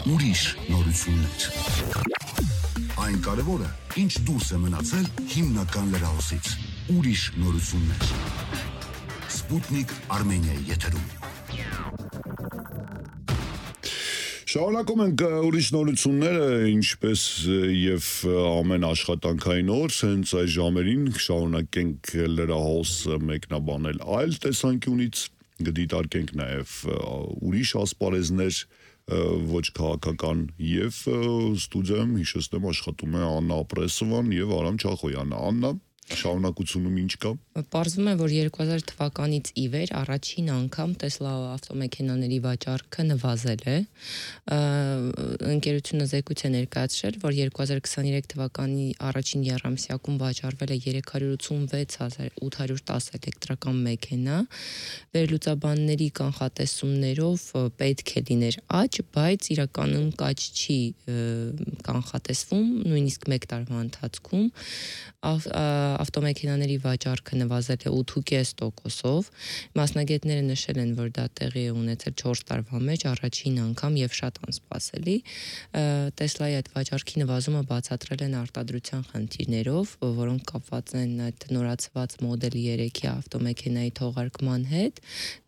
ուրիշ նորություններ։ Այն կարևորը, ինչ դուրս է մնացել հիմնական լրահոսից։ Ուրիշ նորություններ։ Սպուտնիկ Արմենիայի եթերում։ Շարունակում ենք ուրիշ նորությունները, ինչպես եւ ամեն աշխատանքային օր, հենց այս ժամերին շարունակենք լրահոսը մեկնաբանել այլ տեսանկյունից, կդիտարկենք նաեւ ուրիշ ասպարեզներ, ոչ քաղաքական եւ ստուդիայում հիշեցնեմ աշխատում է Աննա Ապրեսովան եւ Արամ Չախոյանը։ Աննա, շարունակությունում ինչ կա։ Պարզվում է, որ 2000 թվականից ի վեր առաջին անգամ Տեսլա ավտոմեքենաների վաճառքը նվազել է։ Ընկերությունը զեկույց է ներկայացրել, որ 2023 թվականի առաջին եռամսյակում վաճառվել է 386,810 էլեկտրական մեքենա։ Վերլուծաբանների կանխատեսումներով պետք է լիներ աճ, բայց իրականում աճ չի կանխատեսվում, նույնիսկ 1 տարվա ընթացքում ավտոմեքենաների վաճառքը նվազել է 8.5%-ով։ Մասնագետները նշել են, որ դա տեղի է ունեցել 4 տարվա մեջ առաջին անգամ եւ շատ անսպասելի։ Տեսլայի այդ վաճառքի նվազումը բացատրել են արտադրության խնդիրներով, որոնք կապված են այդ նորացված մոդել 3-ի ավտոմեքենայի թողարկման հետ,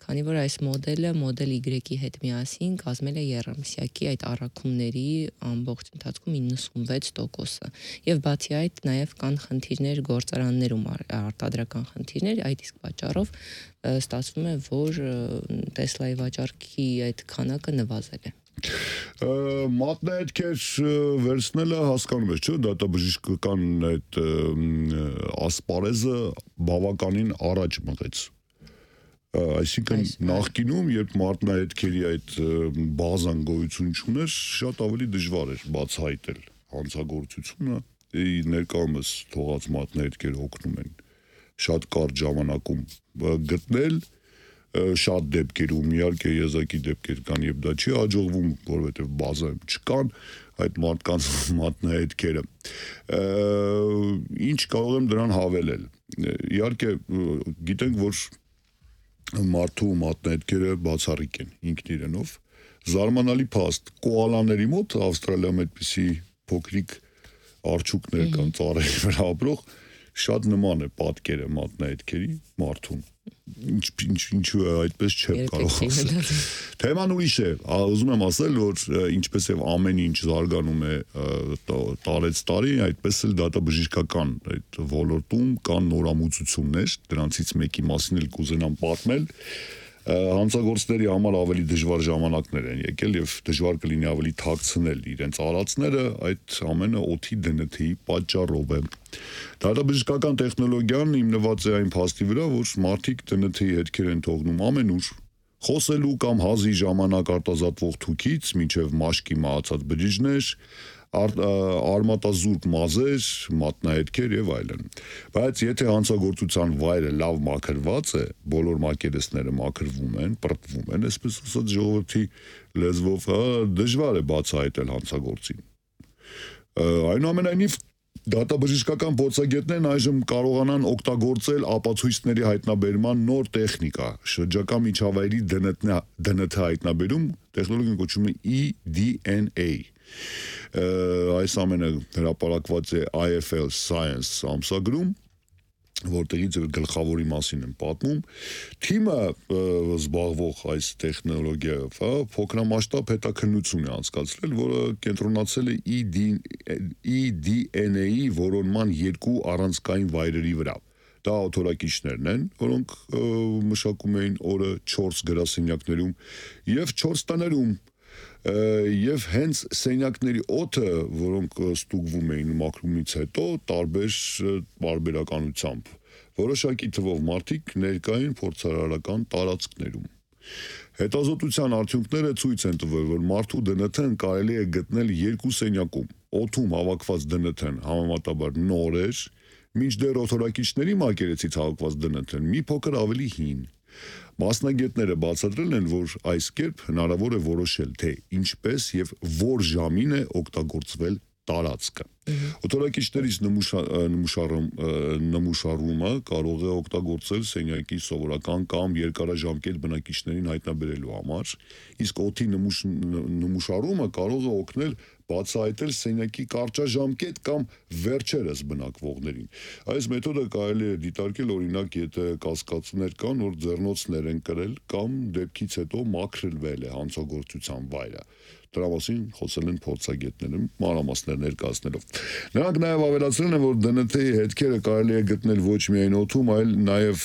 քանի որ այս մոդելը մոդել Y-ի հետ միասին կազմել է եռամսյակի այդ առաքումների ամբողջ ընթացքում 96%-ը։ Եվ բացի այդ նաև կան խնդիրներ գործարաններում, արտադրական խնդիրներ, այդ իսկ պատճառով ստացվում է, որ Տեսլայի վաճառքի այդ քանակը նվազել է։ Մատնահետքեր վերցնելը հասկանում ես, չէ՞, դատաբժշկական այդ ասպարեզը բավականին առաջ մղեց։ Այսինքն նախկինում, երբ մատնահետքերի այդ բազան գոյություն չուներ, շատ ավելի դժվար էր բացահայտել հանցագործությունը, ներկայումս թողած մատնահետքերը օգնում են շատ կարճ ժամանակում գտնել, շատ դեպքերում իհարկե եզակի դեպքեր կան եւ դա չի հաջողվում, որովհետեւ բազայում չկան այդ մարդկանց մատնահետքերը։ Ինչ կարող եմ դրան հավելել։ Իհարկե գիտենք, որ մարդու մատնահետքերը բացառիկ են ինքն իրենով։ Զարմանալի փաստ, կոալաների մոտ Ավստրալիայում այդպիսի փոքրիկ արջուկներ կան ծառերի վրա ապրող, շատ նման է պատկերը մատնահետքերի մարդուն։ Ինչու է այդպես չեմ կարող ասել։ Թեման ուրիշ է, ուզում եմ ասել, որ ինչպես եւ ամեն ինչ զարգանում է տարեց տարի, այդպես էլ դատաբժշկական այդ ոլորտում կան նորամուծություններ, դրանցից մեկի մասին էլ կուզենամ պատմել։ Հանցագործների համար ավելի դժվար ժամանակներ են եկել եւ դժվար կլինի ավելի թաքցնել իրենց արածները, այդ ամենը օդի DNT-ի պատճառով է։ Դատաբժշկական տեխնոլոգիան հիմնված է այն փաստի վրա, որ մարդիկ DNT-ի հետքեր են թողնում ամենուր, խոսելու կամ հազի ժամանակ արտազատվող թուքից մինչև մաշկի մահացած բջիջներ, արմատազուրկ մազեր, մատնահետքեր եւ այլն։ Բայց եթե հանցագործության վայրը լավ մաքրված է, բոլոր մակերեսները մաքրվում են, պրտվում են, այսպես ասած ժողովրդի լեզվով, դժվար է բացահայտել հանցագործին։ Այնուամենայնիվ դատաբժշկական փորձագետներն այժմ կարողանան օգտագործել ապացույցների հայտնաբերման նոր տեխնիկա, շրջակա միջավայրի DNT հայտնաբերում, տեխնոլոգիան կոչվում է eDNA։ Այս ամենը հրապարակված է IFL Science ամսագրում, որտեղից գլխավորի մասին եմ պատմում։ Թիմը զբաղվող այս տեխնոլոգիայով փոքրամասշտաբ հետաքննություն է անցկացրել, որը կենտրոնացել է eDNA-ի որոնման 2 առանցքային վայրերի վրա։ Դա օթորակիչներն են, որոնք մշակում էին օրը 4 գրասենյակներում եւ 4 տներում։ Եվ հենց սենյակների օդը, որոնք ստուգվում էին մաքրումից հետո, տարբեր բարբերականությամբ, որոշակի թվով մարդիկ ներկային փորձարարական տարածքներում։ Հետազոտության արդյունքները ցույց են տվել, որ մարդու DNT-ն կարելի է գտնել 2 սենյակում։ Օդում հավաքված DNT-ն համեմատաբար նոր էր, մինչդեռ օթորակիչների մակերեսից հավաքված DNT-ն մի փոքր ավելի հին։ Մասնագետները բացատրել են, որ այս կերպ հնարավոր է որոշել, թե ինչպես եւ որ ժամին է օգտագործվել տարածքը։ Օտարակիչներից նմուշարումը կարող է օգտագործել սենյակի սովորական կամ երկարաժամկետ բնակիչներին հայտնաբերելու համար, իսկ օդի նմուշարումը կարող է օգնել բացահայտել սենյակի կարճաժամկետ կամ վերջերս բնակվողներին։ Այս մեթոդը կարելի է դիտարկել օրինակ, եթե կասկածներ կան, որ ձեռնոցներ են կրել կամ դեպքից հետո մաքրվել է հանցագործության վայրը։ Դրա մասին խոսել են փորձագետները, մանրամասներ ներկայացնելով։ Նրանք նաև ավելացրել են, որ ԴՆԹ-ի հետքերը կարելի է գտնել ոչ միայն օդում, այլ նաև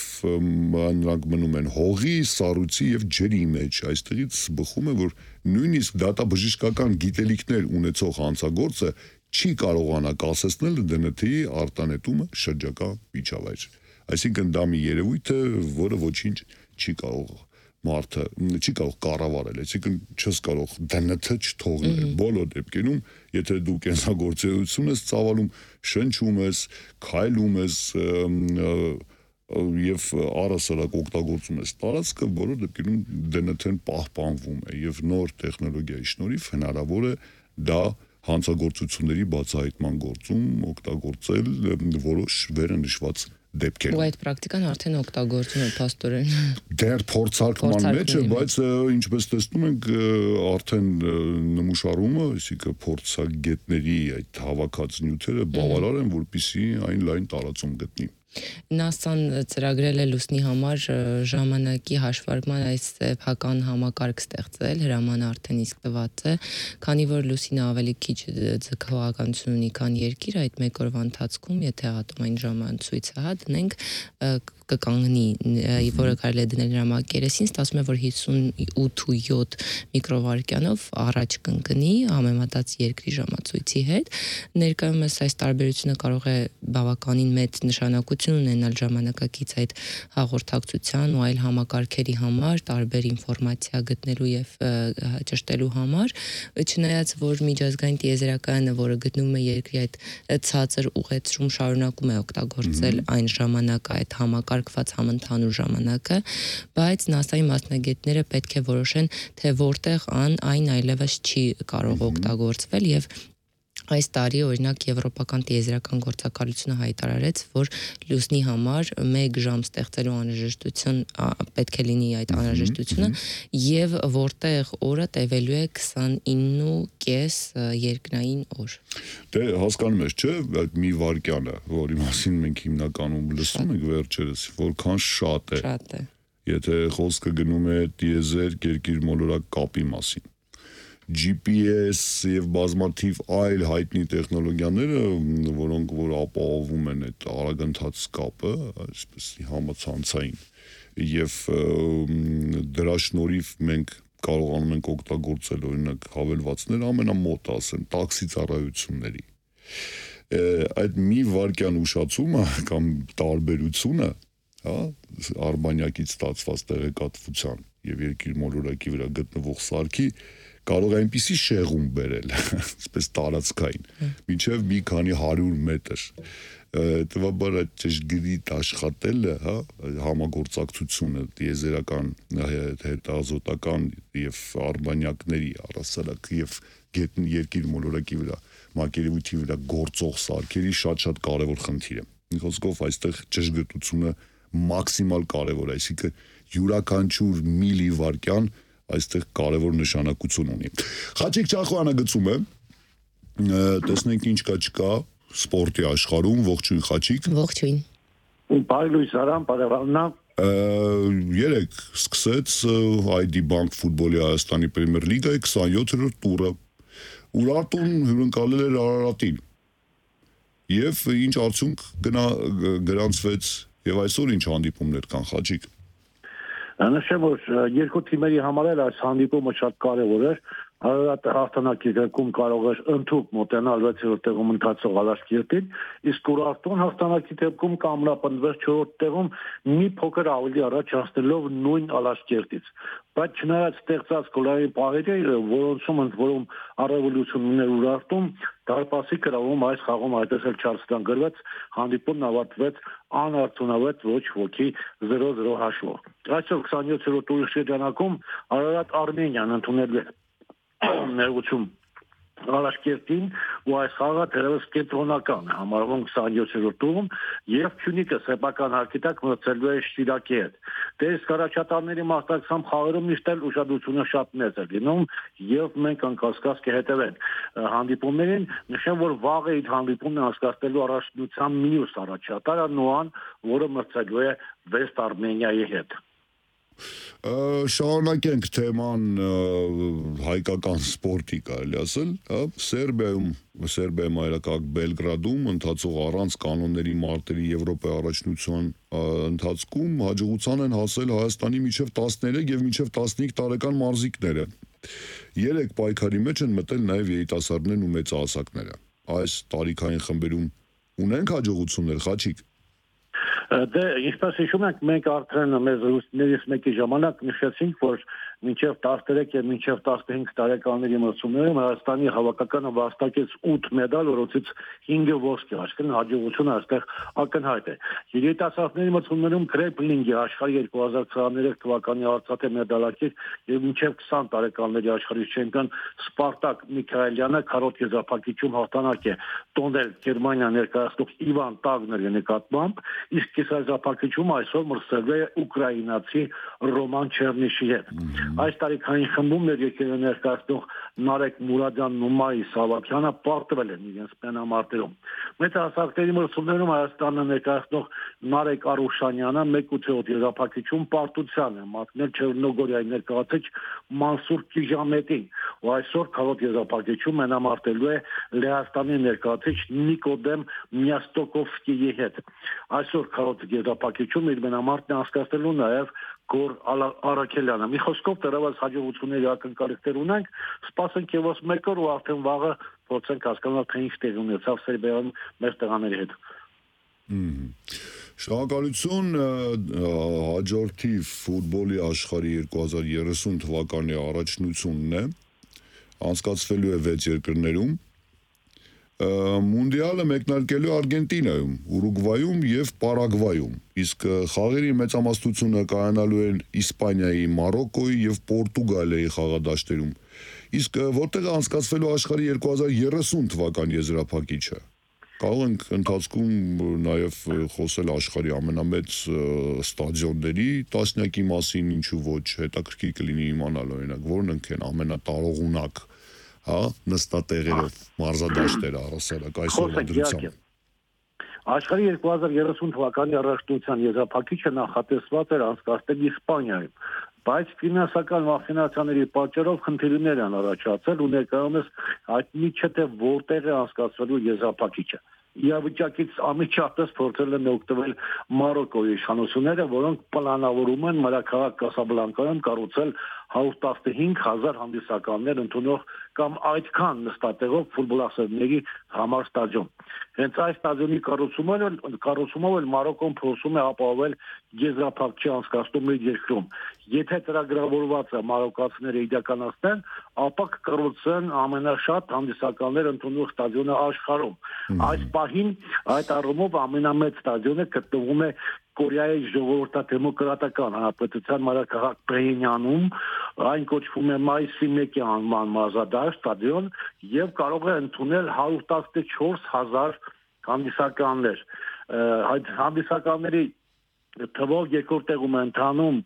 նրանք մնում են հողի, սառույցի եւ ջրի մեջ։ Այստեղից բխում է, որ նույնիսկ դատաբժշկական գիտելիքներ ունեցող հանցագործը չի կարողանա կասեցնել ԴՆԹ-ի արտանետումը շրջակա միջավայր։ Այսինքն դա մի երևույթ է, որը ոչինչ չի կարող մարդը չի կարող կառավարել, այսինքն չես կարող ԴՆԹ չթողնել բոլոր դեպքերում, եթե դու կենսագործունեություն ես ծավալում, շնչում ես, քայլում ես եւ առասարակ օգտագործում ես տարածքը, բոլոր դեպքերում ԴՆԹ-ն պահպանվում է եւ նոր տեխնոլոգիայի շնորհիվ հնարավոր է դա հանցագործությունների բացահայտման գործում օգտագործել որոշ վերընշված դեպքեր։ Ու այդ պրակտիկան արդեն օգտագործում է փաստորեն։ Դեռ փորձարկման մեջ է, բայց ինչպես տեսնում ենք, արդեն նմուշարումը, այսինքն փորձագետների այդ հավաքած նյութերը բավարար են, որպեսզի այն լայն տարածում գտնի։ ՆԱՍԱ-ն ծրագրել է լուսնի համար ժամանակի հաշվարկման այս սեփական համակարգ ստեղծել, հրամանը արդեն իսկ տված է, քանի որ լուսինը ավելի քիչ ձգողականություն ունի, քան երկիրը, այդ մեկ օրվա ընթացքում, եթե ատոմային ժամացույցը դնենք, կկանգնի, որը կարելի է դնել նրա մակերեսին, ստացվում է, որ 58.7 միկրովարկյանով առաջ կընկնի համեմատած երկրի ժամացույցի հետ։ Ներկայումս այս տարբերությունը կարող է բավականին մեծ նշանակություն ունենալ ժամանակակից այդ հաղորդակցության ու այլ համակարգերի համար, տարբեր ինֆորմացիա գտնելու եւ ճշտելու համար, չնայած որ միջազգային տիեզերակայանը, որը գտնվում է երկրի այդ ցածր ուղեցրում, շարունակում է օգտագործել այն ժամանակը, այդ համակարգված համընդհանուր ժամանակը, բայց ՆԱՍԱ-ի մասնագետները պետք է որոշեն, թե որտեղ այն այլևս չի կարող օգտագործվել եւ այս տարի օրինակ Եվրոպական տիեզերական գործակալությունը հայտարարեց, որ լուսնի համար 1 ժամ ստեղծելու անհրաժեշտություն պետք է լինի այդ անհրաժեշտությունը եւ որտեղ օրը տևելու է 29.5 երկնային օր։ Դե հասկանում ես, չէ՞, այդ մի վարկյանը, որի մասին մենք հիմնականում լսում ենք վերջերս, որքան շատ է։ Շատ է։ Եթե խոսքը գնում է տիեզերք երկիր մոլորակ կապի մասին։ GPS եւ բազմաթիվ այլ հայտնի տեխնոլոգիաները, որոնք որ ապահովում են այդ արագընթաց կապը, այսպես համացանցային, եւ դրա շնորհիվ մենք կարողանում ենք օգտագործել օրինակ հավելվածներ ամենամոտ ասեմ տաքսի ծառայությունների։ Այդ մի վարկյան ուշացումը կամ տարբերությունը, հա, արբանյակից ստացված տեղեկատվության եւ երկիր մոլորակի վրա գտնվող սարքի կարող է այնպիսի շեղում բերել, այսպես տարածքային, մինչև մի քանի 100 մետր։ Տվաբար այդ ճշգրիտ աշխատելը, հա, համագործակցությունը տիեզերական, հետազոտական եւ արբանյակների առասարակ եւ երկիր մոլորակի վրա, մակերևույթի վրա գործող սարքերի շատ կարևոր խնդիր է։ Խոսքով այստեղ ճշգրտությունը մաքսիմալ կարևոր է, այսինքն յուրաքանչյուր միլիվարկյան այստեղ կարևոր նշանակություն ունի։ Խաչիկ Չախոյանը գծում է, տեսնենք ինչ կա չկա սպորտի աշխարհում, ողջույն Խաչիկ։ Ողջույն։ Բարի լույս Արամ, բարևանա։ Երեք սկսեց ID Bank ֆուտբոլի Հայաստանի Պրեմիեր լիգայի 27-րդ տուրը։ Ուրարտուն հյուրընկալել էր Արարատին։ Եվ ինչ արդյունք գրանցվեց եւ այսօր ինչ հանդիպումներ կան Խաչիկ։ Նշեմ, որ երկու թիմերի համար էլ այս հանդիպումը շատ կարևոր էր։ Արարատը հաղթանակի դեպքում կարող էր ընդհանուր մոտենալ 6-րդ տեղում ընթացող Ալաշկերտին, իսկ Ուրարտուն հաղթանակի դեպքում կամրապնդվեց 4-րդ տեղում մի փոքր ավելի առաջ հասնելով նույն Ալաշկերտից։ Բայց չնայած ստեղծած գոլային պահերի, որոնցում ընդ որում առավելություն ուներ Ուրարտում, դարպասի գրավում այս խաղում այդպես էլ չարստան գրվեց, հանդիպումն ավարտվեց անարդյունավետ ոչ ոքի 0-0 հաշվով։ Այսօր 27-րդ տուրի շրջանակում Արարատ Արմենիան ընդունել է ներողություն Ալաշկերտին, ու այս խաղը թերևս կենտրոնական է համարվում 27-րդ տուրում եւ Փյունիկը սեփական հարկի տակ մրցելու է Շիրակի հետ։ Դե իսկ առաջատարների մասնակցությամբ խաղերում միշտ էլ ուշադրությունը շատ մեծ է լինում եւ մենք անկասկած կհետեւենք հանդիպումներին։ Նշեմ, որ վաղ այդ հանդիպումն անցկացնելու առաջնության մյուս առաջատարը Նոան, որը մրցելու է Վեստ Արմենիայի հետ։ Շարունակենք թեման հայկական սպորտի կարելի ասել, Սերբիայի մայրաքաղաք Բելգրադում ընթացող առանց կանոնների մարտերի Եվրոպայի առաջնության ընթացքում հաջողության են հասել Հայաստանի մինչև 13 եւ մինչև 15 տարեկան մարզիկները։ 3 պայքարի մեջ են մտել նաև երիտասարդներն ու մեծահասակները։ Այս տարիքային խմբերում ունենք հաջողություններ, Խաչիկ։ Դե ինչպես հիշում եք, մենք արդեն մեզ ռուսներից մեկի ժամանակ նշեցինք, որ մինչև 13 եւ մինչև 15 տարեկանների մրցումներում Հայաստանի հավաքականը վաստակեց 8 մեդալ, որոնցից 5-ը ոսկե, այսինքն հաջողությունը այստեղ ակնհայտ է։ Երիտասարդների մրցումներում գրեփլինգի աշխարհի 2023 թվականի արծաթե մեդալակիր եւ մինչև 20 տարեկանների աշխարհի չեմպիոն Սպարտակ Միքայելյանը քառոտ եզրափակիչում հաղթանակ է տոնել Գերմանիա ներկայացնող Իվան Տագների նկատմամբ, իսկ կիսաեզրափակիչում այսօր մրցել է ուկրաինացի Ռոման Չերնիշի հետ։ Այս տարիքային խմբում ներկայացնող ներկայացնող Նարեկ Մուրադյանն ու Մայի Սավակյանը պարտվել են իրենց պենամարտերում։ Մեծահասակների մրցումներում Հայաստանը ներկայացնող Նարեկ Արուշանյանը 1/8 եզրափակիչում պարտության է մատնել Չեռնոգորիայի ներկայացուցիչ Մանսուր Կիժամետին, ու այսօր քառոտ եզրափակիչում մենամարտելու է Լեհաստանի ներկայացուցիչ Նիկոդեմ Միաստոկովսկիի հետ։ Այսօր քառոտ եզրափակիչում իր մենամարտն անցկացնելու նաև Գոր Արաքելյանը։ Մի խոսքով դեռևս հաջողությունների ակնկալիքներ ունենք, սպասենք եւս 1 օր ու արդեն վաղը փորձենք հասկանալ, թե ինչ տեղի ունեցավ Սերբիայում մեր տեղաների հետ։ Շնորհակալություն, հաջորդի ֆուտբոլի աշխարհի 2030 թվականի առաջնությունն է, անցկացվելու է 6 երկրներում։ Մունդիալը մեկնարկելու Արգենտինայում, Ուրուգվայում եւ Պարագվայում, իսկ խաղերի մեծամասնությունը կայանալու են Իսպանիայի, Մարոկոյի եւ Պորտուգալիայի խաղադաշտերում։ Իսկ որտեղ է անցկացվելու աշխարհի 2030 թվականի եզրափակիչը։ Կարող ենք ընթացքում նաեւ խոսել աշխարհի ամենամեծ ստադիոնների տասնյակի մասին, ինչու ոչ, հետաքրքիր կլինի իմանալ օրինակ, որոնք են ամենատարողունակ նստատեղերով մարզադաշտերը առասարակ այսօրվա դրությամբ։ Աշխարհի 2030 թվականի առաջնության եզրափակիչը նախատեսված էր անցկացնել Իսպանիայում, բայց ֆինանսական մախինացիաների պատճառով խնդիրներ են առաջացել ու ներկայումս հայտնի չէ թե որտեղ է անցկացվելու եզրափակիչը։ Իրավիճակից անմիջապես փորձել են օգտվել Մարոկոյի իշխանությունները, որոնք պլանավորում են մայրաքաղաք Կասաբլանկայում կառուցել 115,000 հանդիսականներ ընդունող կամ այդքան նստատեղով ֆուտբոլասերների համար ստադիոն։ Հենց այս ստադիոնի կառուցումով էլ Մարոկոն փորձում է ապահովել եզրափակիչի անցկացումը իր երկրում։ Եթե ծրագրավորվածը մարոկացիները իրականացնեն, ապա կկառուցեն ամենաշատ հանդիսականներ ընդունող ստադիոնը աշխարհում։ Այս պահին այդ առումով ամենամեծ ստադիոնը գտնվում է Կորեայի ժողովրդադեմոկրատական հանրապետության մայրաքաղաք Փեյնյանում, այն կոչվում է Մայիսի 1-ի անվան մարզադաշտ ստադիոն եւ կարող է ընդունել 114,000 հանդիսականներ։ Այդ հանդիսականների թվով երկրորդ տեղում է ընթանում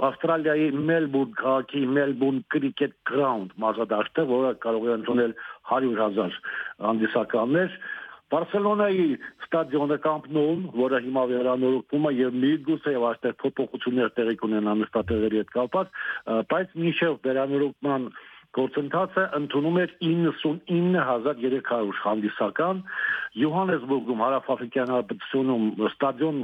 Ավստրալիայի Մելբուրն քաղաքի Melbourne Cricket Ground մարզադաշտը, որը կարող է ընդունել 100,000 հանդիսականներ։ Բարսելոնայի ստադիոնը Camp Nou-ն, որը հիմա վերանորոգվում է եւ միգուցե եւ այստեղ փոփոխություններ տեղի կունենան նստատեղերի հետ կապված, բայց մինչեւ վերանորոգման գործընթացը ընդունում էր 99,300 հանդիսական։ Յոհանեսբուրգում հարավաֆրիկյան հանրապետությունում ստադիոն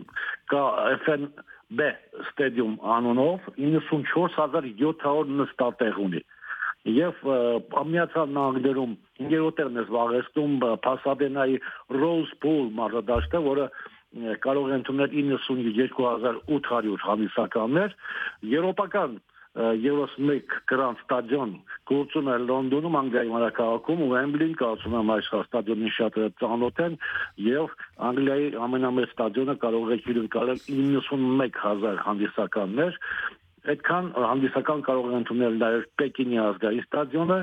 կա FNB ստադիոմ անունով 94,700 նստատեղ ունի։ Եվ Միացյալ Նահանգներում 5-րդ տեղն է զբաղեցնում Փասադենայի Rose Bowl մարզադաշտը, որը կարող է ընդունել 92,800 հանդիսականներ։ Եվրոպական Eurosmec Grand Stadion գործում է Լոնդոնում, Անգլիայի մայրաքաղաքում, Wembley-ին կարծում եմ այս ստադիոնին շատ ծանոթ են, եւ Անգլիայի ամենամեծ ստադիոնը կարող է հյուրընկալել 91,000 հանդիսականներ։ այդքան հանդիսական կարող են ընդունել նաև Պեկինի ազգային ստադիոնը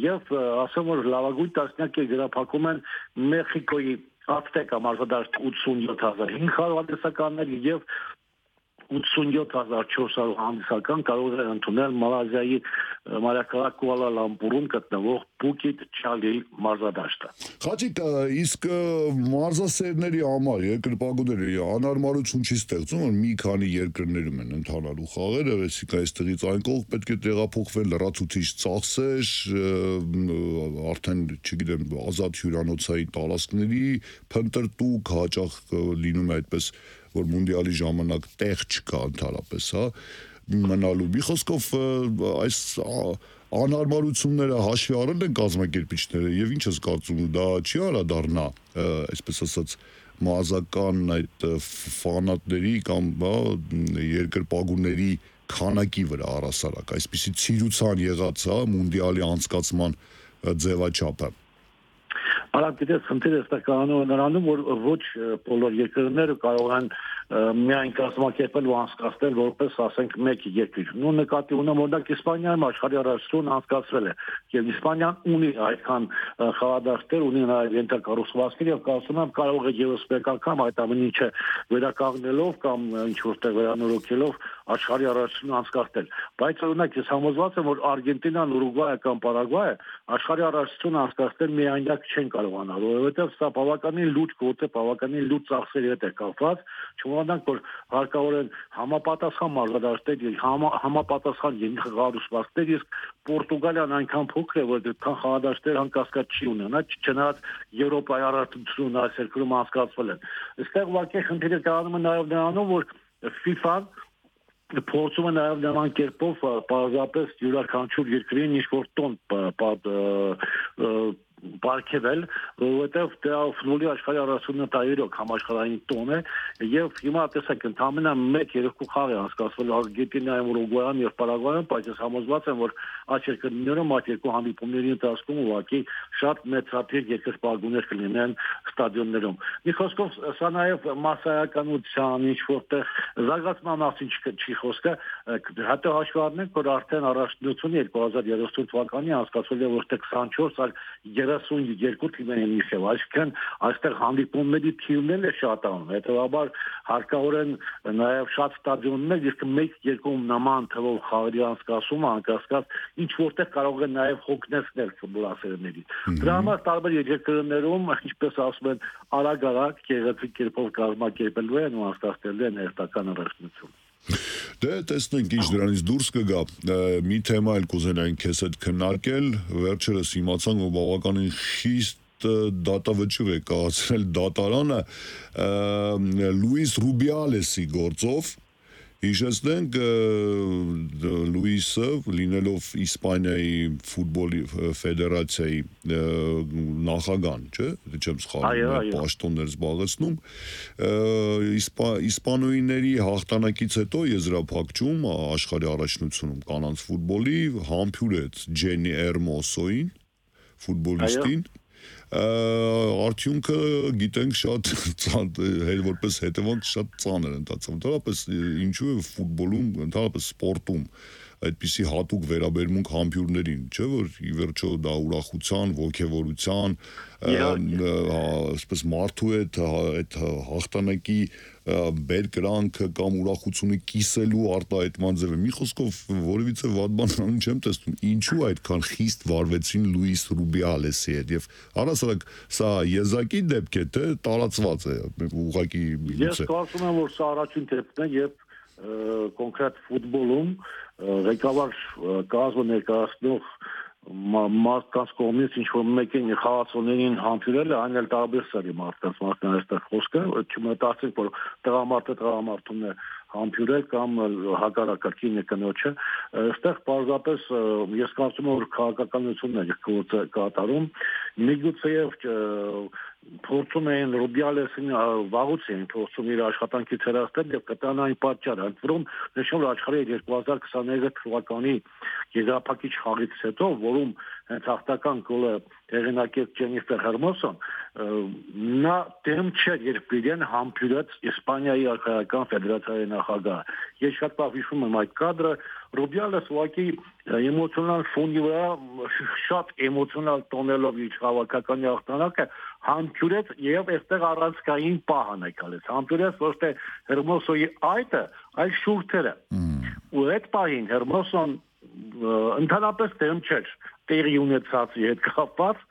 եւ ասեմ որ լավագույն տասնյակ գրափակում են Մեխիկոյի Ացտեկա մարզադաշտ 87500 հանդիսականներ եւ 87400 հանդիսական կարող է ընդունել Մալազիայի մայրաքաղաք Կուալա Լամպուրում գտնվող Փուկեթ Չալի մարզադաշտը։ Խաչիկ, իսկ մարզասերների համար երկրպագուների անհարմարություն չի ստեղծում, որ մի քանի երկրներում են ընթանալու խաղերը, այսինքն այստեղից այն կողմ պետք է տեղափոխվել լրացուցիչ ծախսեր, արդեն, չգիտեմ, ազատ հյուրանոցային տարածքների փնտրտուք, հաճախ լինում է այդպես որ մունդիալի ժամանակ տեղ չկա ընդհանրապես, հա, մնալու։ Մի խոսքով այս անհարմարությունները հաշվի առել են կազմակերպիչները եւ ինչ ես կարծում, դա չի անդրադառնա, այսպես ասած, մազական այդ ֆանատների կամ երկրպագուների քանակի վրա առասարակ, այսպիսի ցիրուցան եղած, հա, մունդիալի անցկացման ձևաչափը։ Արագ դες խնդիրը ստականանում նրանում որ ոչ բոլոր երկրները կարող են միայն կազմակերպել ու անցկացնել որպես ասենք մեկ երկիր։ Նույն նկատի ունեմ օրինակ Իսպանիայում աշխարհի առաջնություն անցկացվել է եւ Իսպանիան ունի այդքան խաղադաշտեր, ունի նաեւ ենթակառուցվածքներ եւ կարծում եմ կարող է եւս մեկ անգամ այդ ամեն ինչը վերականգնելով կամ ինչ որտեղ վերանորոգելով աշխարհի առաջնություն անցկացնել։ Բայց օրինակ ես համոզված եմ որ Արգենտինան, Ուրուգվայը կամ Պարագվայը աշխարհի առաջնություն անցկացնել միայնակ չեն կարողանալ, որովհետեւ սա բավականին լուրջ գործ է, բավականին լուրջ ծախսերի հետ է կապված, չմոռանանք որ հարկավոր են համապատասխան մարզադաշտեր, համապատասխան ենթակառուցվածքներ, իսկ Պորտուգալիան այնքան փոքր է, որ դեռ խաղադաշտեր հանկարծ չի ունենա, չնայած Եվրոպայի առաջնությունն այս երկրում անցկացվել են։ Այստեղ ուղղակի խնդիրը կայանում է նաեւ նրանում, որ FIFA-ն փորձում է նաև նման կերպով պարզապես յուրաքանչյուր երկրին ինչ-որ տոն պարգևել, որովհետև դա ֆուտբոլի աշխարհի առաջնությունը տայրոք համաշխարհային տոն է եւ հիմա տեսեք ընդամենը 1-2 խաղ է անցկացվել Արգենտինայում, Ուրուգվայում եւ Պարագվայում, բայց ես համոզված եմ, որ այս երկրներում այդ երկու հանդիպումների ընթացքում ուղղակի շատ մեծաթիվ երկրպագուներ կլինեն ստադիոններում։ Մի խոսքով սա նաեւ մասսայականության ինչ որտեղ զարգացման մասին չի խոսքը, հետո հաշվի առնենք, որ արդեն առաջնությունը 2030 թվականին անցկացվել է որտեղ 24 այլ 32 թիմեր են իշև, այսինքն այստեղ հանդիպումների թիվներն է շատանում, հետևաբար հարկավոր են նաև շատ ստադիոններ, իսկ մեկ երկում նման թվով խաղերի անցկացումը անկասկած ինչ որտեղ կարող է նաև հոգնեցնել ֆուտբոլասերների։ Դրա համար տարբեր երկրներում, ինչպես ասում են, արագ-արագ գեղեցիկ կերպով կազմակերպելու են ու անցկացնելու են հերթական առաջնություն։ Դե տեսնենք ինչ դրանից դուրս կգա։ Մի թեմա էլ կուզենային քեզ հետ քննարկել, վերջերս իմացանք, որ բավականին խիստ դատավճիռ է կայացրել դատարանը Լուիս Ռուբիալեսի գործով։ Հիշեցնենք Լուիսը լինելով Իսպանիայի ֆուտբոլի ֆեդերացիայի նախագահ, չէ՞, չեմ սխալվում, պաշտոններ զբաղեցնում, իսպանոյիների հաղթանակից հետո եզրափակում աշխարհի առաջնությունում կանանց ֆուտբոլի համբուրեց Ջենի Էրմոսոին, ֆուտբոլիստին, արդյունքը գիտենք շատ որպես հետևանք շատ ծանր ընթացավ, ընդհանրապես ինչու է ֆուտբոլում, ընդհանրապես սպորտում այդպիսի հատուկ վերաբերմունք համբուրներին, չէ՞ որ ի վերջո դա ուրախության, ոգևորության, այսպես մարդու հետ այդ հաղթանակի բերկրանքը կամ ուրախությունը կիսելու արտահայտման ձև է։ Մի խոսքով որևիցե վատ բան անում չեմ տեսնում, ինչու այդքան խիստ վարվեցին Լուիս Ռուբիալեսի հետ եւ առասարակ սա եզակի դեպք է, թե տարածված է, ուղղակի Ես կարծում եմ, որ սա առաջին դեպքն է եւ կոնկրետ ֆուտբոլում ղեկավար կազմը ներկայացնող մարդկանց կողմից ինչ-որ մեկին խաղացողներին համբուրել է, այն էլ տարբեր սերի մարդկանց այստեղ խոսքը, չմտածենք, որ տղամարդուն է համբուրել կամ հակառակը կինը կնոջը, այստեղ պարզապես ես կարծում եմ, որ քաղաքականությունն է գործը կատարում, միգուցեև փորձում էին Ռուբիալեսին վաղուց էին փորձում իր աշխատանքից հեռացնել եւ կտան այն պատճառը, ընդ որում նշում որ աշխարհի 2023 թվականի եզրափակիչ խաղից հետո, որում հենց հաղթական գոլը հեղինակեց Ջենիֆեր Հերմոսոն, նա դեմ չէր, երբ Բիդեն համբուրեց Իսպանիայի արխայական ֆեդերացիայի նախագահը։ Ես շատ լավ հիշում եմ այդ կադրը, Ռուբիալես ուղղակի էմոցիոնալ ֆոնի վրա շատ էմոցիոնալ տոնելով իր հավաքականի հաղթանակը համբուրեց եւ այստեղ առանցքային պահ անեկալեց։ Համբուրեց ոչ թե Հերմոսոյի այդը, այլ շուրթերը։ Ու այդ պահին Հերմոսոն ընդհանրապես դեմ չէր տեղի ունեցածի հետ կապված,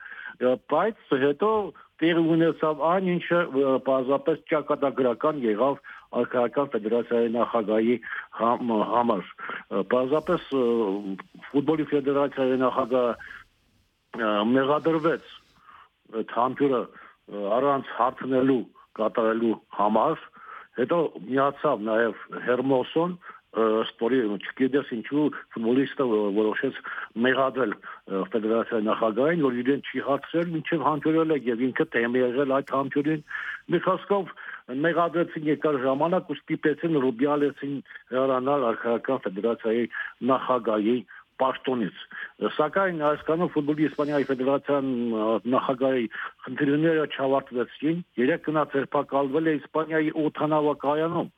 բայց հետո տեղի ունեցավ այն, ինչը պարզապես ճակատագրական եղավ արխայական ֆեդերացիայի նախագահի համար։ Պարզապես ֆուտբոլի ֆեդերացիայի նախագահը մեղադրվեց այդ համբուրը առանց հարցնելու կատարելու համար, հետո միացավ նաև Հերմոսոն, սպորի չգիտես ինչու ֆուտբոլիստը որոշեց մեղադրել ֆեդերացիայի նախագահին, որ իրեն չի հարցրել, մինչև համբուրել է եւ ինքը դեմ եղել այդ համբուրին։ Մի խոսքով մեղադրեցին երկար ժամանակ ու ստիպեցին Ռուբիալեսին հեռանալ արխայական ֆեդերացիայի նախագահի պաշտոնից։ Սակայն այսքանով ֆուտբոլի Իսպանիայի ֆեդերացիան նախագահի խնդիրները չավարտվեցին, 3 գնաց ձերբակալվել է Իսպանիայի օդանավակայանում։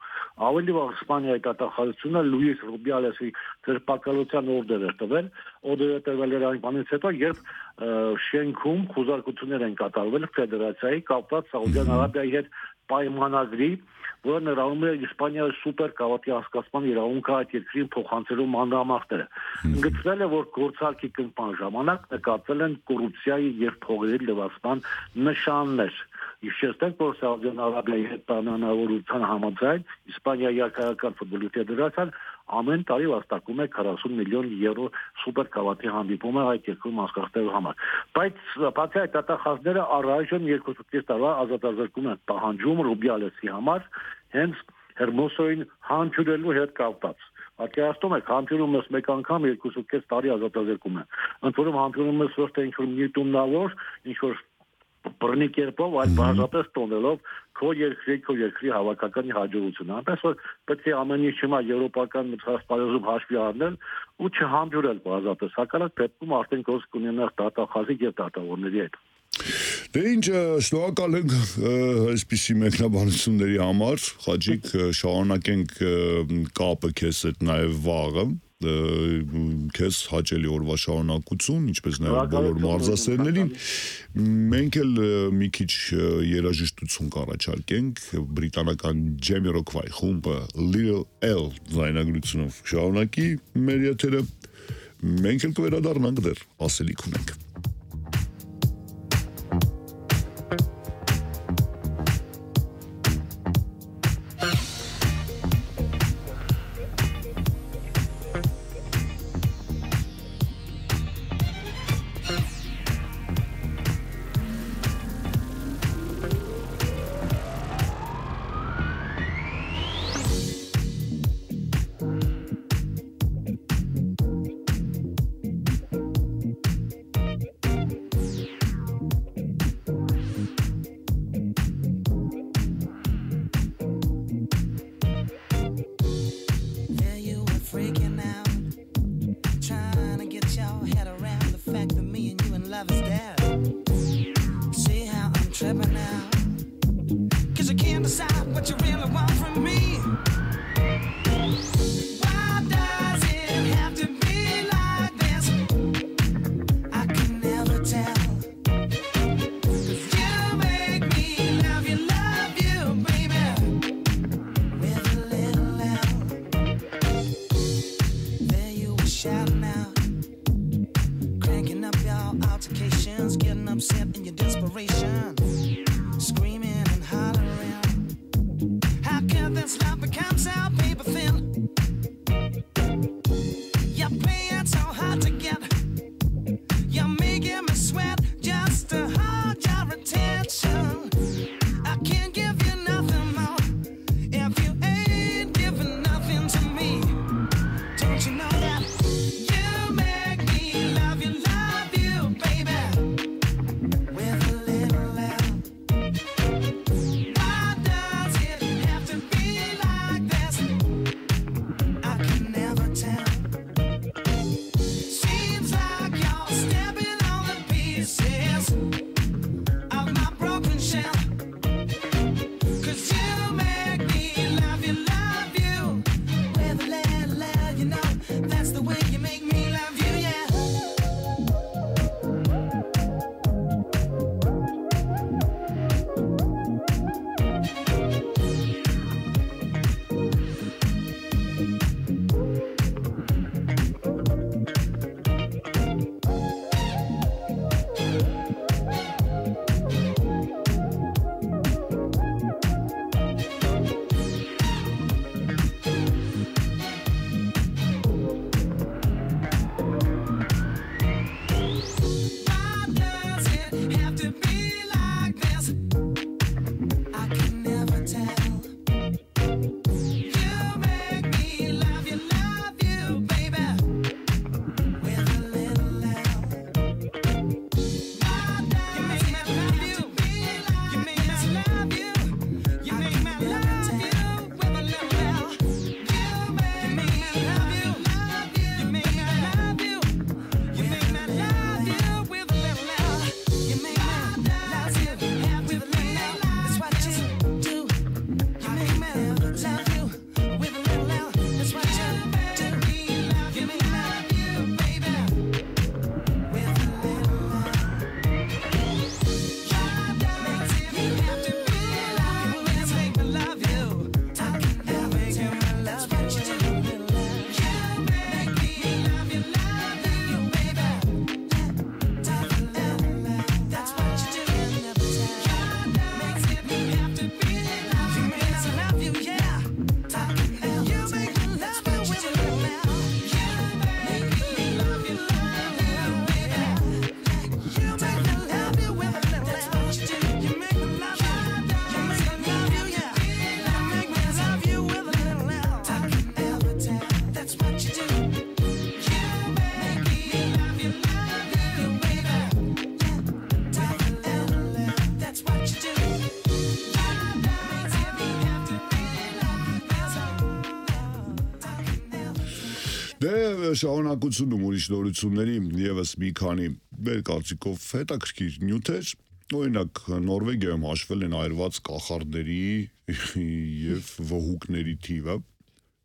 Ավելի վաղ Իսպանիայի դատախազությունը Լուիս Ռուբիալեսի ձերբակալության օրդեր էր տվել, օրդերը տրվել էր այն բանից հետո, երբ շենքում խուզարկություններ են կատարվել ֆեդերացիայի կապված Սաուդյան Արաբիայի հետ պայմանագրի, որը ներառում է Իսպանիայի սուպեր գավաթի հասկացման իրավունքը այդ երկրին փոխանցելու մանրամասները։ Ընդգծվել է, որ գործարքի կնքման ժամանակ նկատվել են կոռուպցիայի եւ փողերի լվացման նշաններ։ Հիշեցնենք, որ Սաուդյան Արաբիայի հետ պայմանավորության համաձայն Իսպանիայի արխայական ֆուտբոլի ֆեդերացիան ամեն տարի վաստակում է 40 միլիոն եվրո սուպեր գավաթի հանդիպումը այդ երկրում անցկացնելու համար։ Բայց բացի այդ դատախազները առայժմ 2.5 տարվա ազատազրկում են պահանջում Ռուբիալեսի համար, հենց Հերմոսոյին համբուրելու հետ կապված։ Պատկերացնում եք, համբուրում ես մեկ անգամ 2.5 տարի ազատազրկում են։ Ընդ որում համբուրում ես ոչ թե ինչ-որ միտումնավոր, ինչ-որ բռնի կերպով, այլ բարձրապես տոնելով քո երկրի հավաքականի հաջողությունը։ Այնպես որ պետք է ամեն ինչ հիմա եվրոպական մրցասպարեզում հաշվի առնել ու չհամբուրել բարձրապես։ Հակառակ դեպքում արդեն գործ կունենաս դատախազի եւ դատավորների հետ։ Դե ինչ, շնորհակալ ենք այսպիսի մեկնաբանությունների համար, Խաչիկ, շարունակենք կապը քեզ հետ նաև վաղը, քեզ հաճելի օրվա շարունակություն, ինչպես նաև բոլոր մարզասերներին։ Մենք էլ մի քիչ երաժշտություն կառաջարկենք, բրիտանական Jamiroquai խումբը Little L ձայնագրությունով շարունակի մեր եթերը, մենք էլ կվերադառնանք դեռ, ասելիք ունենք։ շարունակությունում ուրիշ նորությունների եւս մի քանի մեր կարծիքով հետաքրքիր նյութեր, օրինակ Նորվեգիայում հաշվել են այրված կախարդների եւ վհուկների թիվը։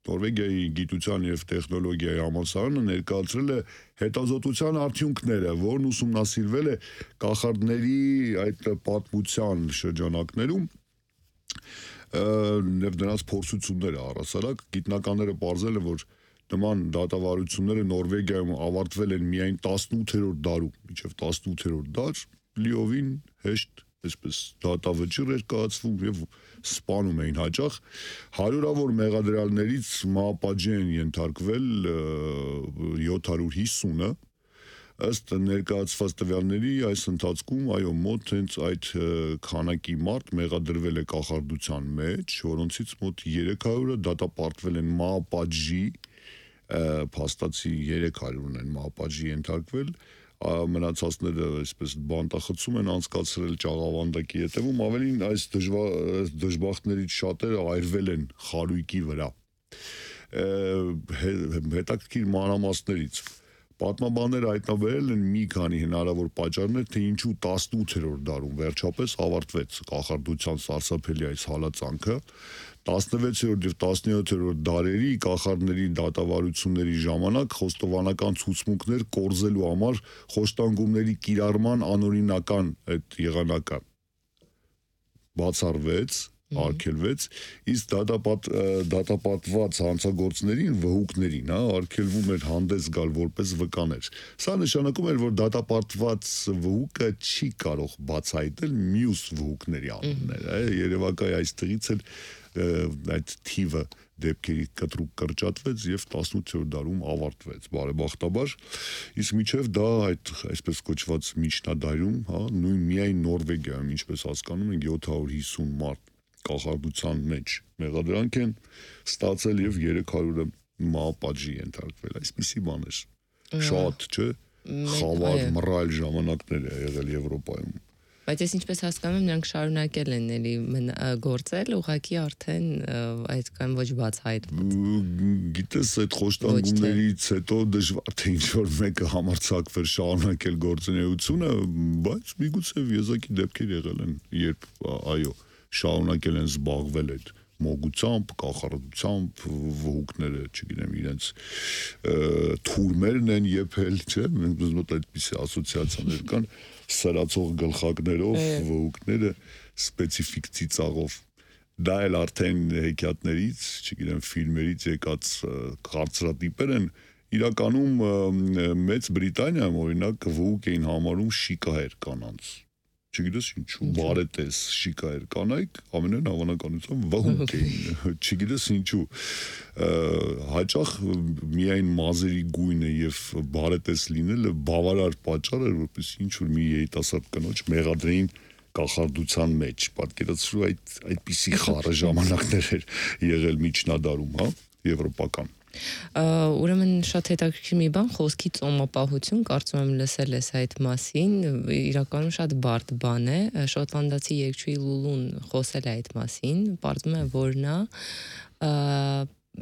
Նորվեգիայի գիտության եւ տեխնոլոգիայի համալսարանը ներկայացրել է հետազոտության արդյունքները, որն ուսումնասիրվել է կախարդների այդ պատմության շրջանակներում եւ նրանց փորձությունները առասարակ գիտնականները ողջել են, որ նման դատավարությունները Նորվեգիայում ավարտվել են միայն 18-րդ դարում, մինչև 18-րդ դար լիովին հեշտ այսպես դատավճիռ էր կայացվում եւ սպանում էին հաճախ հարյուրավոր մեղադրյալներից մահապատժի են ենթարկվել 750-ը ըստ ներկայացված տվյալների այս ընթացքում այո մոտ հենց այդ քանակի մարդ մեղադրվել է կախարդության մեջ, որոնցից մոտ 300-ը դատապարտվել են մահապատժի, փաստացի 300-ն են մահապատժի ենթարկվել, մնացածները այսպես բանտախցում են անցկացրել ճաղավանդակի հետևում, ավելին այս դժբախտներից շատերը այրվել են խարույկի վրա։ Հետաքրքիր մանրամասներից պատմաբանները հայտնաբերել են մի քանի հնարավոր պատճառներ, թե ինչու 18-րդ դարում վերջապես ավարտվեց կախարդության սարսափելի այս հալածանքը։ 16-րդ եւ 17-րդ դարերի կախարդների դատավարությունների ժամանակ խոստովանական ցուցմունքներ կորզելու համար խոշտանգումների կիրառման անօրինական այդ եղանակը բացառվեց, արգելվեց, իսկ դատապարտված հանցագործներին, վհուկներին, արգելվում էր հանդես գալ որպես վկաներ։ Սա նշանակում էր, որ դատապարտված վհուկը չի կարող բացահայտել մյուս վհուկների անունները, երևակայ այստեղից էլ այդ թիվը դեպքերի կտրուկ կրճատվեց եւ 18-րդ դարում ավարտվեց բարեբախտաբար, իսկ միջև դա այդ այսպես կոչված միջնադարում, նույն միայն Նորվեգիայում, ինչպես հասկանում ենք 750 մարդ կախարդության մեջ մեղադրանք են ստացել եւ 300-ը մահապատժի ենթարկվել, այսպիսի բաներ շատ, չէ, խավար մռայլ ժամանակներ է եղել Եվրոպայում։ Բայց ես ինչպես հասկանում եմ, նրանք շարունակել են էլի գործել, ուղղակի արդեն այդքան ոչ բացահայտված։ Գիտես, այդ խոշտանգումներից հետո դժվար թե ինչ-որ մեկը համարձակվեր շարունակել գործունեությունը, բայց միգուցե եզակի դեպքեր եղել են, երբ այո, շարունակել են զբաղվել այդ մոգությամբ, կախարդությամբ, վհուկները, չգիտեմ, իրենց թուրմերն են եփել, չէ՞, մենք այդպիսի ասոցիացիաներ կան, սրացող գլխակներով, վհուկները սպეციფიկ ծիծաղով։ Դա էլ արդեն հեքիաթներից, չգիտեմ, ֆիլմերից եկած կարծրատիպեր են, իրականում Մեծ Բրիտանիայում օրինակ վհուկ էին համարում շիկահեր կանանց։ Չգիտես ինչու, բարետես շիկահեր կանայք ամենայն հավանականությամբ վհուկ էին, չգիտես ինչու, հաճախ միայն մազերի գույնը եւ բարետես լինելը բավարար պատճառ էր, որպեսզի ինչ-որ մի երիտասարդ կնոջ մեղադրեին կախարդության մեջ, պատկերացրու այդպիսի խառը ժամանակներ էր եղել միջնադարում, եվրոպական։ Ուրեմն շատ հետաքրքիր մի բան, խոսքի ծոմապահություն, կարծում եմ լսել ես այդ մասին, իրականում շատ բարդ բան է, շոտլանդացի երգչուհի Լուլուն խոսել է այդ մասին, պարզվում է, որ նա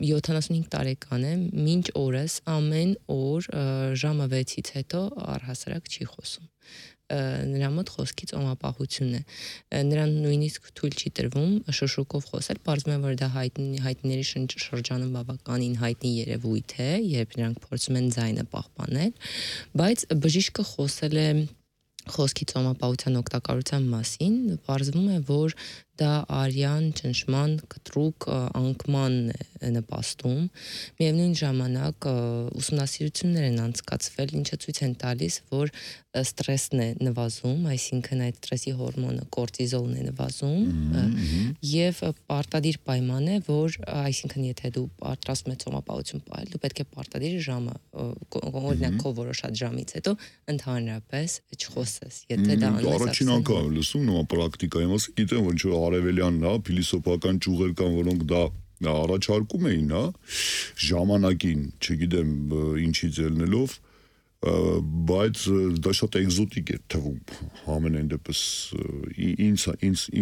75 տարեկան է, մինչ օրս ամեն օր ժամը 6-ից հետո առհասարակ չի խոսում։ Նրա մոտ խոսքի ծոմապահություն է, նրան նույնիսկ թույլ չի տրվում շշուկով խոսել, պարզվում է, որ դա հայտնիների շրջանում բավականին հայտնի երևույթ է, երբ նրանք փորձում են ձայնը պահպանել, բայց բժիշկը խոսել է խոսքի ծոմապահության օգտակարության մասին, պարզվում է, որ դա արյան, ճնշման, կտրուկ անկման է նպաստում, միևնույն ժամանակ ուսումնասիրություններ են անցկացվել, ինչը ցույց են տալիս, որ ստրեսն է նվազում, այսինքն այդ ստրեսի հորմոնը կորտիզոլն է նվազում եւ պարտադիր պայման է, որ այսինքն եթե դու պատրաստում ես ծոմապահություն պահել, դու պետք է պարտադիր ժամը, օրինակ քո որոշած ժամից հետո ընդհանրապես չխոսես, եթե դա անես։ Առաջին անգամ եմ լսում նման պրակտիկայի մասին, գիտեմ, որ ինչ-որ արևելյան, փիլիսոփական ճյուղեր կան, որոնք դա առաջարկում էին, ժամանակին, չգիտեմ, ինչից ելնելով, բայց դա շատ էկզոտիկ էր թվում, ամենայն դեպս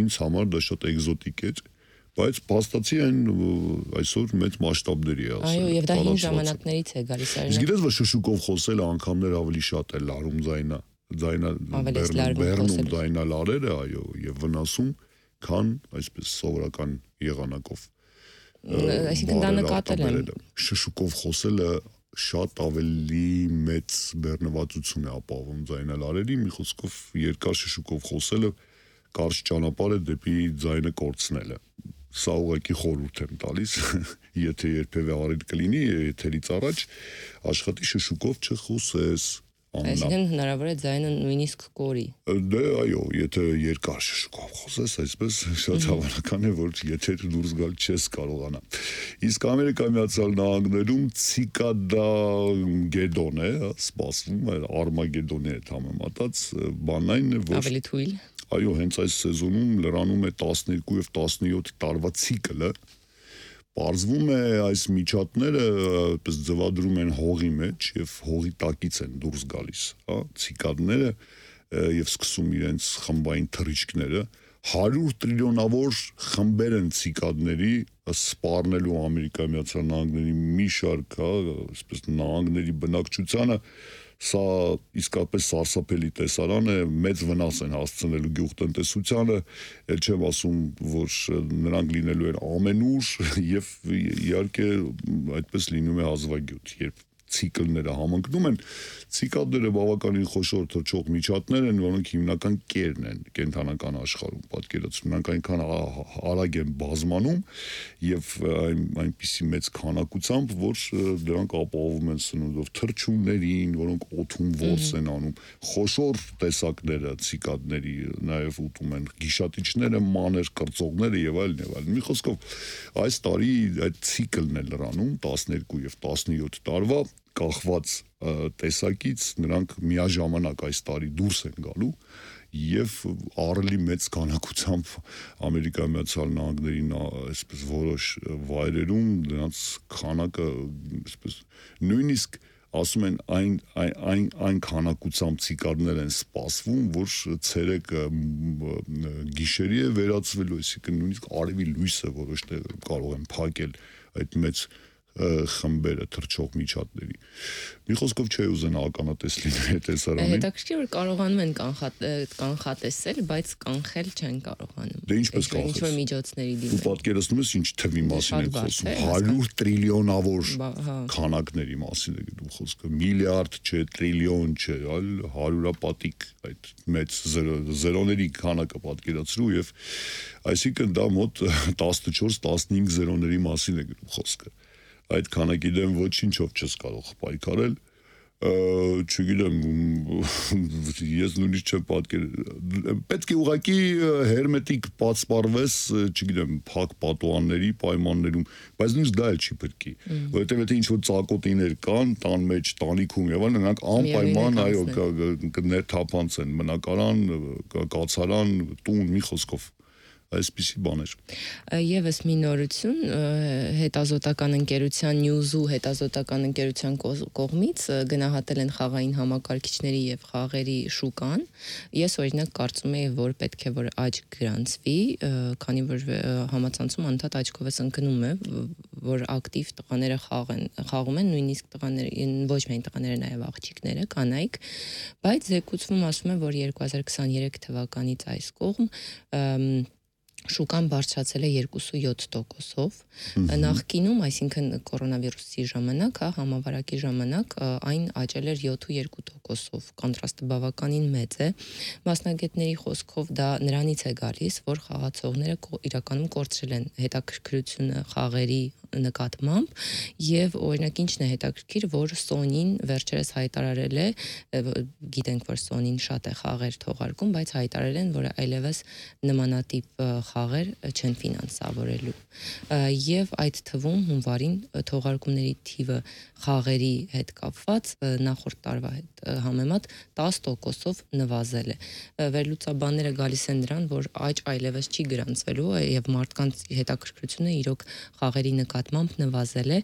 ինձ համար դա շատ էկզոտիկ էր, Բայց փաստացի այն այսօր մեծ մասշտաբների է ասել։ Այո, եւ դա հին ժամանակներից է գալիս Իսկ գիտես, որ շշուկով խոսելը անգամներ ավելի շատ է լարում բեռնում ձայնալարերը, այո, եւ վնասում, քան այսպես սովորական եղանակով։ Այսինքն դա նկատել եմ։ Շշուկով խոսելը շատ ավելի մեծ բեռնվածություն է ապահովում ձայնալարերի, մի խոսքով երկար շշուկով խոսելը կարճ ճանապարհ է դեպի ձայնը կորցնելը։ Սա ուղղակի խորհուրդ եմ տալիս, եթե երբևէ արել կլինի, եթերից առաջ աշխատի շշուկով չխոսես։ Այսինքն հնարավոր է ձայնը նույնիսկ կորի։ Դե այո, եթե երկար շշուկով խոսես, այսպես շատ հավանական է, որ եթե դուրս գալ չես կարողանա։ Իսկ Ամերիկայի Միացյալ Նահանգներում ցիկադա գեդոն է, սպասվում է Արմագեդոնի հետ համեմատած, բանն այն է, որ ավելի թույլ։ Այո, հենց այս սեզոնում լրանում է 12 եւ 17 տարվա ցիկլը։ Պարզվում է այս միջատները այդպես ձվադրում են հողի մեջ եւ հողի տակից են դուրս գալիս, հա, ցիկադները եւ սկսում իրենց խմբային թռիչքները 100 տրիլիոնավոր խմբեր են ցիկադների սպառնելու Ամերիկայի Միացյալ Նահանգների մի շարք, հա, այսպես նահանգների բնակչությանը Սա իսկապես սարսափելի տեսարան է, մեծ վնաս են հասցնելու գյուղտնտեսությանը, էլ չեմ ասում, որ նրանք լինելու են ամենուր եւ իհարկե այդպես լինում է հազվագյուտ, երբ ցիկլները համընկնում են, ցիկադները բավականին խոշոր թռչող միջատներ են, որոնք հիմնական կերն են կենթանական աշխարհում, պատկերացնում, նրանք այնքան արագ են բազմանում եւ այնպիսի մեծ քանակությամբ, որ դրանք ապահովում են սնունդով թռչուններին, որոնք օդում ворս են անում, խոշոր տեսակները ցիկադների նաեւ ուտում են, գիշատիչները, մանր կրծողները եւ այլն եւ այլն։ Մի խոսքով այս տարի այդ ցիկլն է լրանում 12 եւ 17 տարվա կախված տեսակից նրանք միաժամանակ այս տարի դուրս են գալու եւ առելի մեծ քանակությամբ Ամերիկայի Միացյալ Նահանգների այսպես որոշ վայրերում նրանց քանակը այսպես նույնիսկ ասում են այն քանակությամբ ցիկադներ են սպասվում, որ ցերեկը գիշերի է վերածվելու, այսինքն նույնիսկ արևի լույսը որոշ տեղ կարող են փակել այդ մեծ խմբերը թռչող միջատների։ Մի խոսքով չի ուզենա ականատես լինել տեսարանին։ Հետաքրքիր որ կարողանում են կանխատեսել, բայց կանխել չեն կարողանում։ Դե ինչպես կանխես։ Ինչ-որ միջոցների դիմել։ Դու պատկերացնում ես ինչ թվի մասին է խոսում։ 100 տրիլիոնավոր քանակների մասին է դու խոսքը։ Միլիարդ չէ, տրիլիոն չէ, այլ հարյուրապատիկ այդ մեծ զերոների քանակը պատկերացրու եւ այսինքն դա մոտ 14-15 զերոների մասին է խոսքը։ Այդ քանակի դեմ ոչինչով չես կարող պայքարել, չգիտեմ, ես նույնիսկ չեմ պատկերացնում, պետք է ուղղակի հերմետիկ պատսպարվես, չգիտեմ, փակ պատուհանների պայմաններում, բայց նույնիսկ դա էլ չի պետքի, որովհետև եթե ինչ-որ ծակոտիներ կան, տան մեջ, տանիքում եւ այլն, նրանք անպայման, այո, կներթափանցեն մնակարան, կացարան, տուն, մի խոսքով այսպիսի բաներ։ Եվս մի նորություն հետազոտական ընկերության News-ու հետազոտական ընկերության կողմից գնահատել են խաղային համակարգիչների եւ խաղերի շուկան։ Ես օրինակ կարծում եի, որ պետք է որ աճ գրանցվի, քանի որ համացանցում անդադ աճկով է ընկնում է, որ ակտիվ տղաները խաղում են, նույնիսկ տղաները, ոչ միայն տղաները, նաեւ աղջիկները, կանայք, բայց զեկուցվում ասում է, որ 2023 թվականից այս կողմ շուկան բարձրացել է 2.7%-ով, նախկինում, այսինքն կորոնավիրուսի ժամանակ, համավարակի ժամանակ այն աճել էր 7.2%-ով, կոնտրաստը բավականին մեծ է, մասնագետների խոսքով դա նրանից է գալիս, որ խաղացողները իրականում կորցրել են հետաքրքրությունը խաղերի նկատմամբ եւ օրինակ ինչն է հետաքրքիր, որ Sony-ն վերջերս հայտարարել է, գիտենք, որ Sony-ն շատ է խաղեր թողարկում, բայց հայտարարել են, որ այլևս նմանատիպ խաղեր չեն ֆինանսավորելու։ Եվ այդ թվում հունվարին թողարկումների թիվը խաղերի հետ կապված նախորդ տարվա հետ համեմատ 10%-ով նվազել է։ Վերլուծաբանները գալիս են նրան, որ աճ այլևս չի գրանցվելու եւ մարդկանց հետաքրքրությունը իրոք խաղերի նկատմամբ նվազել է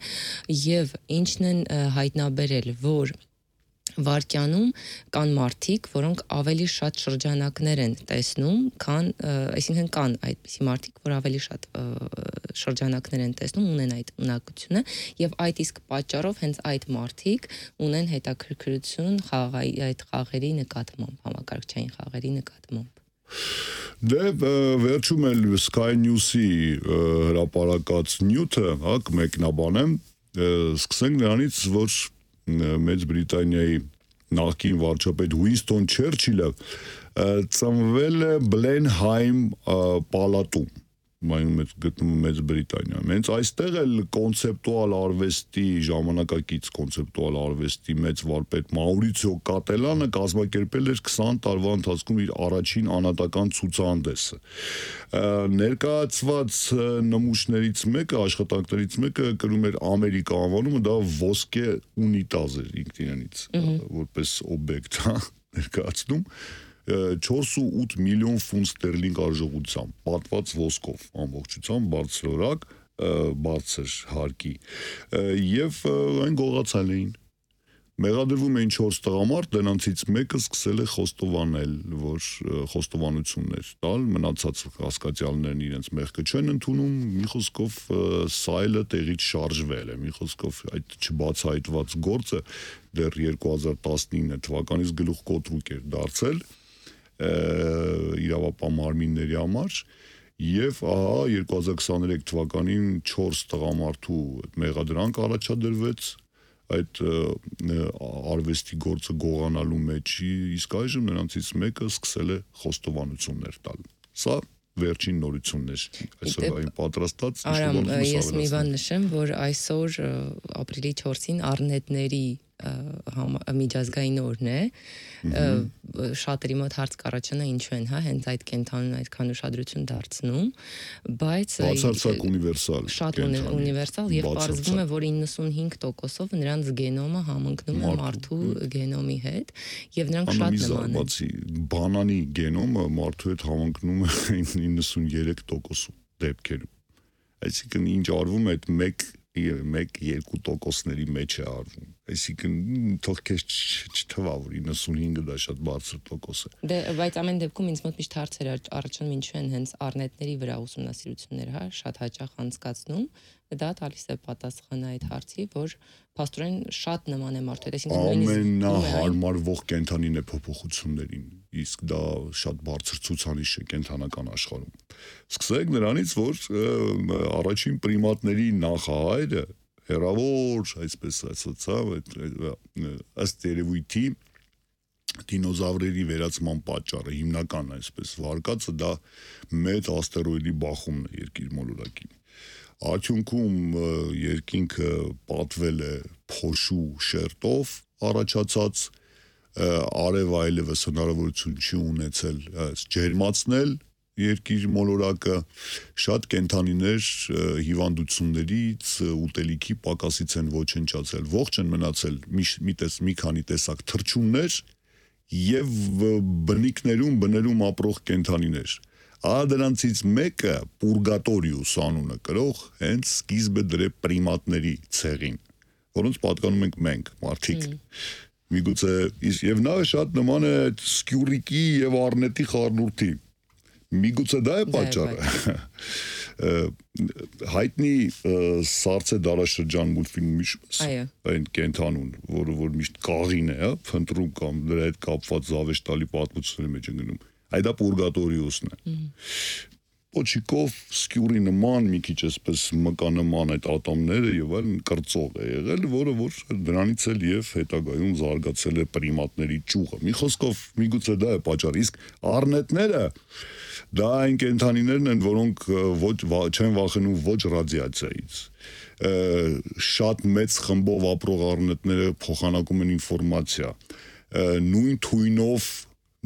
եւ ինչն են հայտնաբերել, որ վարկյանում կան մարդիկ, որոնք ավելի շատ շրջանակներ են տեսնում, քան, այսինքն կան այդպիսի մարդիկ, որ ավելի շատ շրջանակներ են տեսնում, ունեն այդ ունակությունը, եւ այդ իսկ պատճառով հենց այդ մարդիկ ունեն հետաքրքրություն այդ խաղերի նկատմամբ, համակարգչային խաղերի նկատմամբ։ Դե վերջում էլ Sky News-ի հրապարակած նյութը, հակ մեկնաբանեմ, սկսենք նրանից, որ Մեծ Բրիտանիայի նախկին վարչապետ Ուինստոն Չերչիլը ծնվել է Բլենհայմ պալատում, գտնվում Մեծ Բրիտանիայում։ Հենց այստեղ էլ կոնցեպտուալ արվեստի, ժամանակակից կոնցեպտուալ արվեստի մեծ վարպետ Մաուրիցիո Կատելանը կազմակերպել էր 20 տարվա ընթացքում իր առաջին անհատական ցուցահանդեսը։ Ներկայացված նմուշներից մեկը, աշխատանքներից մեկը կրում էր Ամերիկա անվանումը, դա ոսկե ունիտազ էր ինքնինից, որպես օբյեկտ, ներկայացնում 4.8 միլիոն ֆունտ ստերլինգ արժողությամբ, պատված ոսկով, ամբողջությամբ բարձրորակ, բարձր հարկի, եւ այն գողացել էին։ Մեղադրվում էին 4 տղամարդ, դրանցից մեկը սկսել է խոստովանել, որ խոստովանություններ տալ, մնացած հասկացյալներն իրենց մեղքը չեն ընդունում, մի խոսքով սայլը տեղից շարժվել է, մի խոսքով այդ չբացահայտված գործը դեռ 2019 թվականից գլուխկոտրուկ էր դարձել իրավապահ մարմինների համար եւ ահա 2023 թվականին 4 տղամարդու մեղադրանք առաջադրվեց այդ արվեստի գործը գողանալու մեջ, իսկ այժմ նրանցից մեկը սկսել է խոստովանություններ տալ։ Սա վերջին նորությունն էր այսօրվային պատրաստած։ Արամ, ես մի բան նշեմ, որ այսօր ապրիլի 4-ին Առնետների միջազգային օրն է, շատերի մոտ հարց կառաջանա ինչու են, հենց այդ կենթանուն այդքան ուշադրություն դարձնում, բայց բացարձակ ունիվերսալ, շատ ունիվերսալ եւ պարզվում է, որ 95%-ով նրանց գենոմը համընկնում է մարդու գենոմի հետ եւ նրանք շատ նման են։ Բանանի գենոմը մարդու հետ համընկնում է 93% դեպքերում։ Այսինքն ինչ արվում է այդ 1-2%-ների մեջ է արվում։ Այսինքն թող քեզ չթվա, որ 95-ը դա շատ բարձր տոկոս է։ Դե, բայց ամեն դեպքում ինձ մոտ միշտ հարցեր առաջանում ինչու են հենց առնետների վրա ուսումնասիրություններ, շատ հաճախ անցկացնում, դա տալիս է պատասխան այդ հարցի, որ փաստորեն շատ նման է մարդու հետ, ամենահարմարվող կենդանին է փոփոխություններին, իսկ դա շատ բարձր ցուցանիշ է կենդանական աշխարհում։ Սկսենք նրանից, որ առաջին պրիմատների նախահայրը հերավոր, այսպես ասացավ, ըստ երևույթի դինոզավրերի վերացման պատճառը հիմնական այսպես վարկածը դա մեծ աստերոիդի բախումն է երկիր մոլորակին։ Արդյունքում երկինքը պատվել է փոշու շերտով առաջացած, արև այլևս հնարավորություն չի ունեցել ջերմացնել երկիր մոլորակը, շատ կենդանիներ հիվանդություններից, ուտելիքի պակասից են ոչնչացել, ողջ են մնացել մի քանի տեսակ թռչուններ եւ բներում ապրող կենդանիներ։ Դրանցից մեկը Պուրգատորիուս անունը կրող հենց սկիզբը դրե պրիմատների ցեղին, որոնց պատկանում ենք մենք, մարդիկ։ Միգուցե եւ նա շատ նման է Սկյուրիկի եւ Առնետի խառնուրդի։ Միգուցե դա է պատճառը։ Հայտնի Սարցե դարաշրջան մուլտֆիլմի այն կենթանուն, որ միշտ կաղին է, փնտրում կամ դրա հետ կապված զավեշտալի պատմությունների մեջ են գնում։ Այդ դա Պուրգատորիուսն է։ Պոչիկով Սկյուրի նման մի քիչ այսպես մկանման այդ ատոմները եւ այլն կրծող է եղել, որը որ դրանից էլ եւ հետագայում զարգացել է պրիմատների ճյուղը։ Մի խոսքով միգուցե դա է պատճառը, իսկ առնետները դա այն կենդանիներն են, որոնք չեն վախենում ոչ ռադիացիայից։ Շատ մեծ խմբով ապրող առնետները փոխանակում են ինֆորմացիա։ Նույն թույնով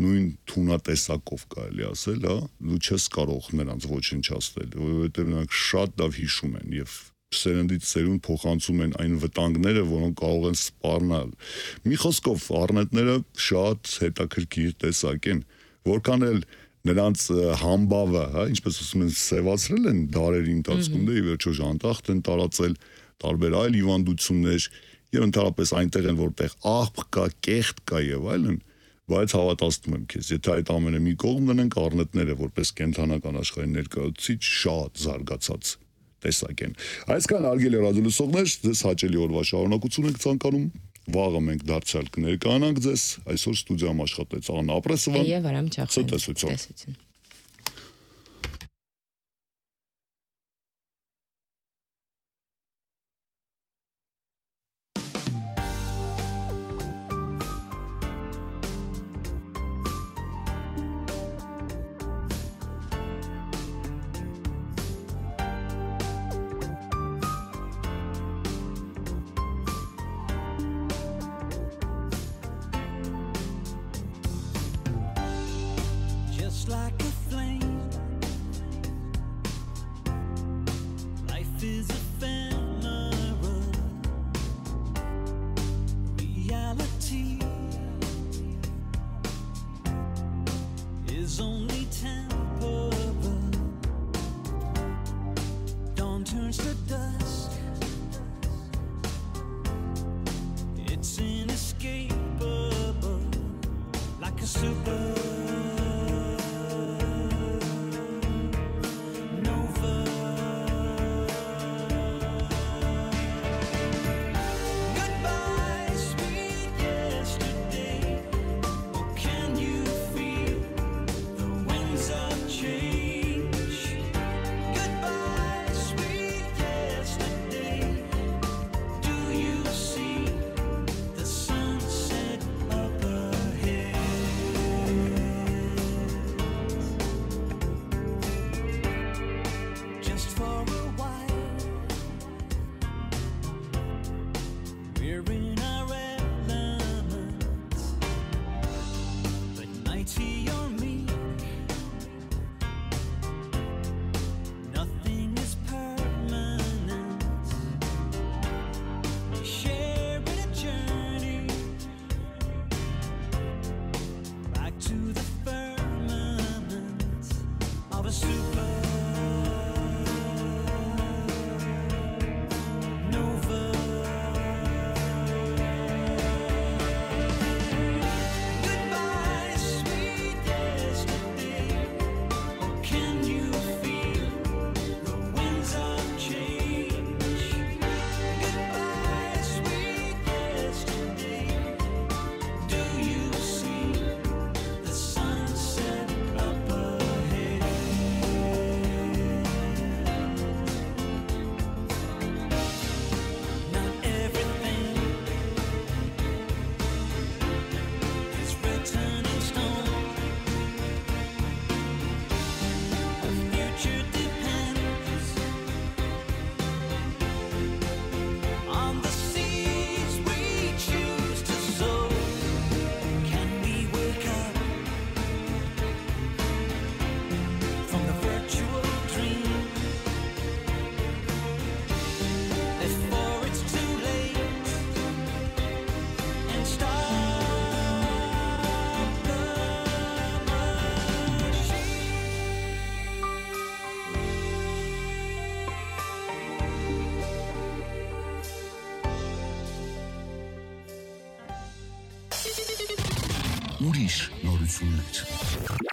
նույն թունատեսակով կարելի ասել, դու չես կարող նրանց ոչնչացնել, որովհետև նրանք շատ լավ հիշում են եւ սերնդից սերունդ փոխանցում են այն վտանգները, որոնք կարող են սպառնալ։ Մի խոսքով առնետները շատ հետաքրքիր տեսակ են, որքան էլ նրանց համբավը, ինչպես ասում են, սևացրել են դարերի ընթացքում, դե ի վերջո ժանտախտ են տարածել տարբեր այլ հիվանդություններ եւ ընդհանրապես այնտեղ են որտեղ աղբ կա, կեղտ կա եւ այլն, բայց հավատացնում եմ քեզ, եթե այդ ամենը մի կողմ դնենք, առնետները որպես կենթանական աշխարհի ներկայացուցիչ շատ զարգացած տեսակ են։ Այսքան արգելի ռադիոլսողներ, ձեզ հաճելի օրվա շարունակություն ենք ցանկանում։ Վաղը մենք դարձյալ կներկայանանք ձեզ, այսօր ստուդիայում աշխատեց Աննա Ապրեսովան եւ Արամ Չախոյան։ Ցտեսություն։ Like a flame, life is ephemeral, reality is only temporal. Dawn turns to dusk, it's inescapable, like a super ուրիշ նորություններ։